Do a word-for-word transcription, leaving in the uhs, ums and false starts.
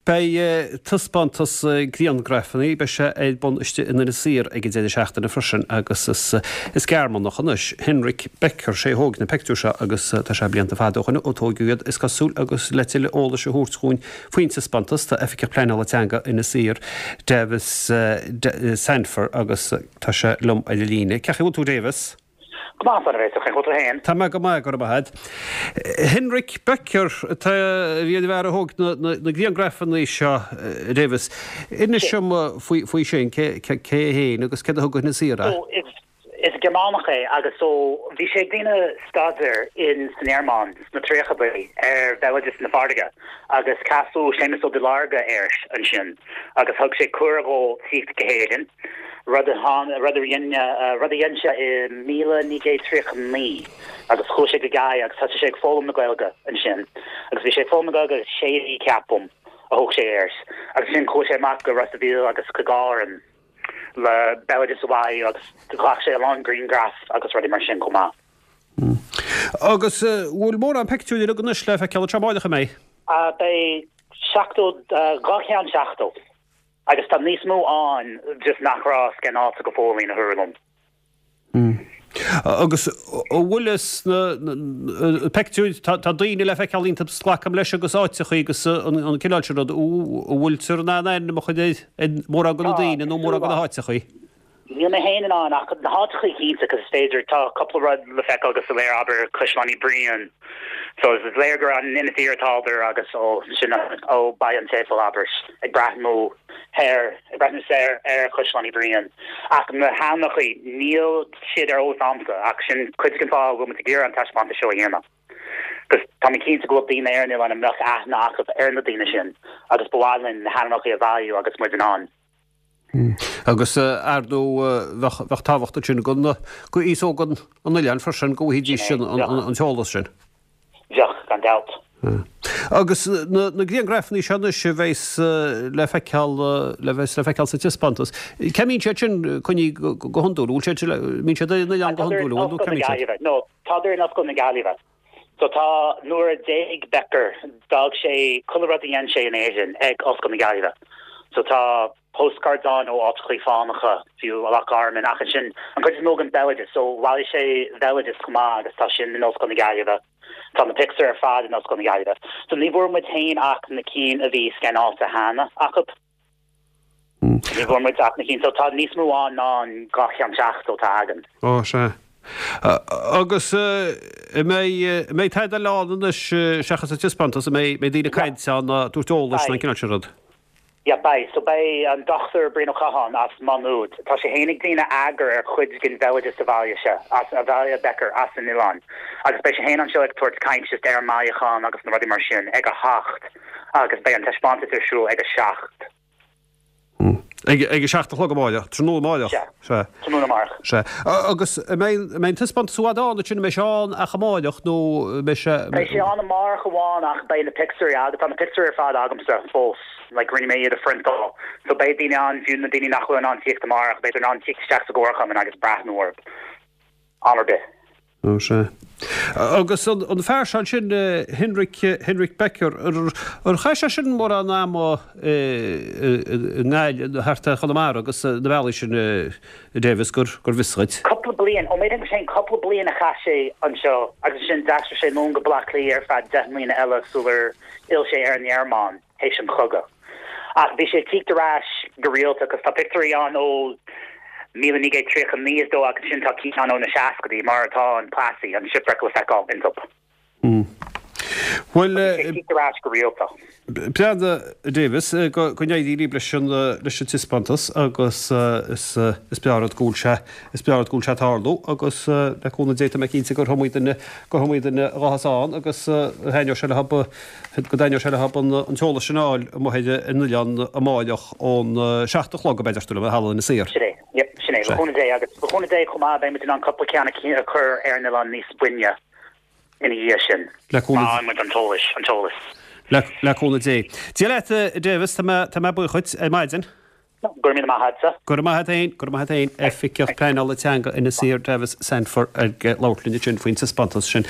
Beidh taispeántas grianghrafanna beidh sé ar bun istigh in Inis Oírr ag an deireadh seachtaine freisin agus is is Gearmánach anois Henrik Becker sé a thóg na pictiúir seo agus tá sé blianta fada ó shin ó tógadh iad is cosúil agus le tuilleadh eolais a thabhairt dúinn faoin taispeántas tá Oifigeach Pleanála Teanga Inis Oírr Davis Sandford agus tá sé liom ar an líne. Cén chaoi a bhfuil tú Davis? Go maith tú féin. Tá mé go maith go raibh Henrik Becker tá bhí an fear a thóg na grianghrafanna seo Davis. Inis dom faoi sin cé é agus cad a thug Inis Oírr. Is Gearmánach é agus so bhí sé ag déanamh staidéir in san Ghearmáin sna tríochaidí ar bhéaloideas na farraige agus casadh Séamus Ó Duilearga air ansin agus thug sé cuireadh dó tíocht go hÉirinn rud rud rud a dhein sé i míle naoi gcéad tríocha naoi agus chuaigh sé go Gaillimh agus thosaigh sé ag foghlaim na Gaeilge ansin agus bhí sé foghlaim na Gaeilge sé mhí ceapaim a thóg sé air agus sin chuaigh sé amach go Ros an Mhíl agus go Árainn le béaloideas a bhailiú agus ghlac sé a lán grianghraf agus rudaí mar sin chomh maith. Mm. Agus bhfuil mórán pictiúr anois le feiceáil amárach mé? Beidh seachtó dhá cheann seachtó. Agus tá níos mó ann just nach raibh scanáilte go fóill a thuairim. Mm. Agus bhfuil na pictiúir tá daoine le feiceáil iontu glacaim leis agus áiteacha agus an cineál sin rud bhfuiltear in ann ainm a chur ar mórán de na daoine nó mórán de na háiteacha. Níl mé féin in ann ach na háiteacha cinnte cos is féidir tá cúpla rud le feiceáil go soiléir abair Caisleán Uí Bhriain. So is léir gur an Inis Oírr atádar agus ó sin ó Baile an tSéipéil abair ag breathnú thoir ag breathnú soir ar Chaisleán Uí Bhriain. Ach na hainmneacha níl siad ar eolas agamsa ach sin cuid den fáth go bhfuil muid ag iarraidh an taispeántas seo a dhéanamh. Cos tá mé cinnte go bhfuil daoine ar an oileán a mbeadh aithne acu ar na daoine sin agus ba mhaith linn na hainmneacha a bhailiú agus muid in ann. Hmm. Agus ar ndóigh bheadh tábhacht sin go go aos óg an oileáin freisin go bhfaighidís sin an t-eolas sin. Bheadh gan dabht. Agus na grianghrafanna seo anois a bheas le feiceáil le bheas le feiceáil sa taispeántas. Cá mbíonn siad sin coinnithe go hiondúil, bhfuil siad mbíonn siad ar an oileán go hiondúil nó cá mbíonn siad? No, tádar in Ollscoil na Gaillimhe. So tá nuair a d'éag Becker d'fhág sé chuile rud a dhein sé in Éirinn ag Ollscoil na Gaillimhe. So tá postcards ann ó áiteacha fánacha fiú a Loch Garman ach sin an chuid is mó den bhéaloideas, so bhailigh sé béaloideas chomh maith agus tá sin in Ollscoil na Gaillimhe. Tá na pictiúir ar fad in Ollscoil na Gaillimhe. So ní bhfuair muid féin ach na cinn a bhí scanáilte cheana acu. Ní bhfuair muid ach na cinn so tá níos mó ann ná an dhá cheann seachtó atá againn. Ó sea. Agus mbeidh mbeidh tada eile ann anois seachas an taispeántas an mbeidh mbeidh daoine ag caint ann ag tabhairt eolais nó an cineál sin rud. Yeah, beidh. So beidh an Dr Brian Ó Catháin as Maigh Nuad. Tá sé féin ag déanamh eagar ar chuid den bhéaloideas a bhailigh sé, as a bhailigh Becker as an oileán. Agus beidh sé féin anseo ag tabhairt caint just ar an mbailiúchán agus na rudaí mar sin ag a hocht agus beidh an taispeántas ar siúl ag a seacht. Ag ag a seacht a chlog amárach, tráthnóna amárach. Sea. Tráthnóna amárach. Sea. Agus mbeidh mbeidh an taispeántas i bhfad ann sin mbeidh sé ann ach amárach nó mbeidh sé Beidh sé ann amárach amháin ach beidh na pictiúirí agus tá na pictiúirí ar fad agamsa fós. Like rinne mé iad a phriontáil. So beidh daoine ann fiú na daoine nach bhfuil in ann tíocht amárach, beidh in ann tíocht isteach sa gcomharchumann agus breathnú orthu. Am ar bith. Ó sea. Agus an fear seo sin Henrik Henrik Becker ar chaith sé sin mórán ama i nGaillimh thart ar Chonamara agus na bealaí sin Davis gur gur bhfios dhuit. Cúpla bliain ó méid sin cúpla bliain a chaith sé anseo agus sin d'aistrigh sé anonn go Baile Átha Cliath ar feadh deich mbliana eile sular fhill sé ar an nGearmáin théis an chogadh. Ach bhí sé ag tíocht ar ais go rialta agus tá pictiúirí ann ó míle naoi gcéad tríocha naoi is dóigh agus sin tá cinn ann ó na seascaidí mar atá an Plassey an shipwreck le feiceáil iontu. Bhuel tíocht ar ais go rialta. Breanda Davis go n-éirí libh leis an leis an taispeántas agus is is breá rud go bhfuil sé is breá rud go bhfuil sé ag tarlú agus le cúnamh Dé tá mé cinnte gur iomaí duine gur iomaí duine a ghabhfas ann agus thaitneodh sé leo go dtaitneodh sé leo an t-eolas sin a fháil amuigh ar an oileán amárach ón seacht a chlog a b'fhéidir tú le halla Inis Oírr. Sin é, yep, sin é, le cúnamh Dé agus le cúnamh Dé chomh maith beidh muid in ann cúpla ceann a chur ar an oileán níos buaine ina dhiaidh sin. Le cúnamh Má muid an t-eolas, an t-eolas. Le le cúnamh Dé. Dia leat Davis, tá mé tá mé buíoch dhuit ar maidin. Go raibh míle maith agatsa. Go raibh maith agat féin, go raibh maith agat féin, Oifigeach Pleanála Teanga Inis Oírr Davis Sandford ag labhairt linn ansin faoin taispeántas sin.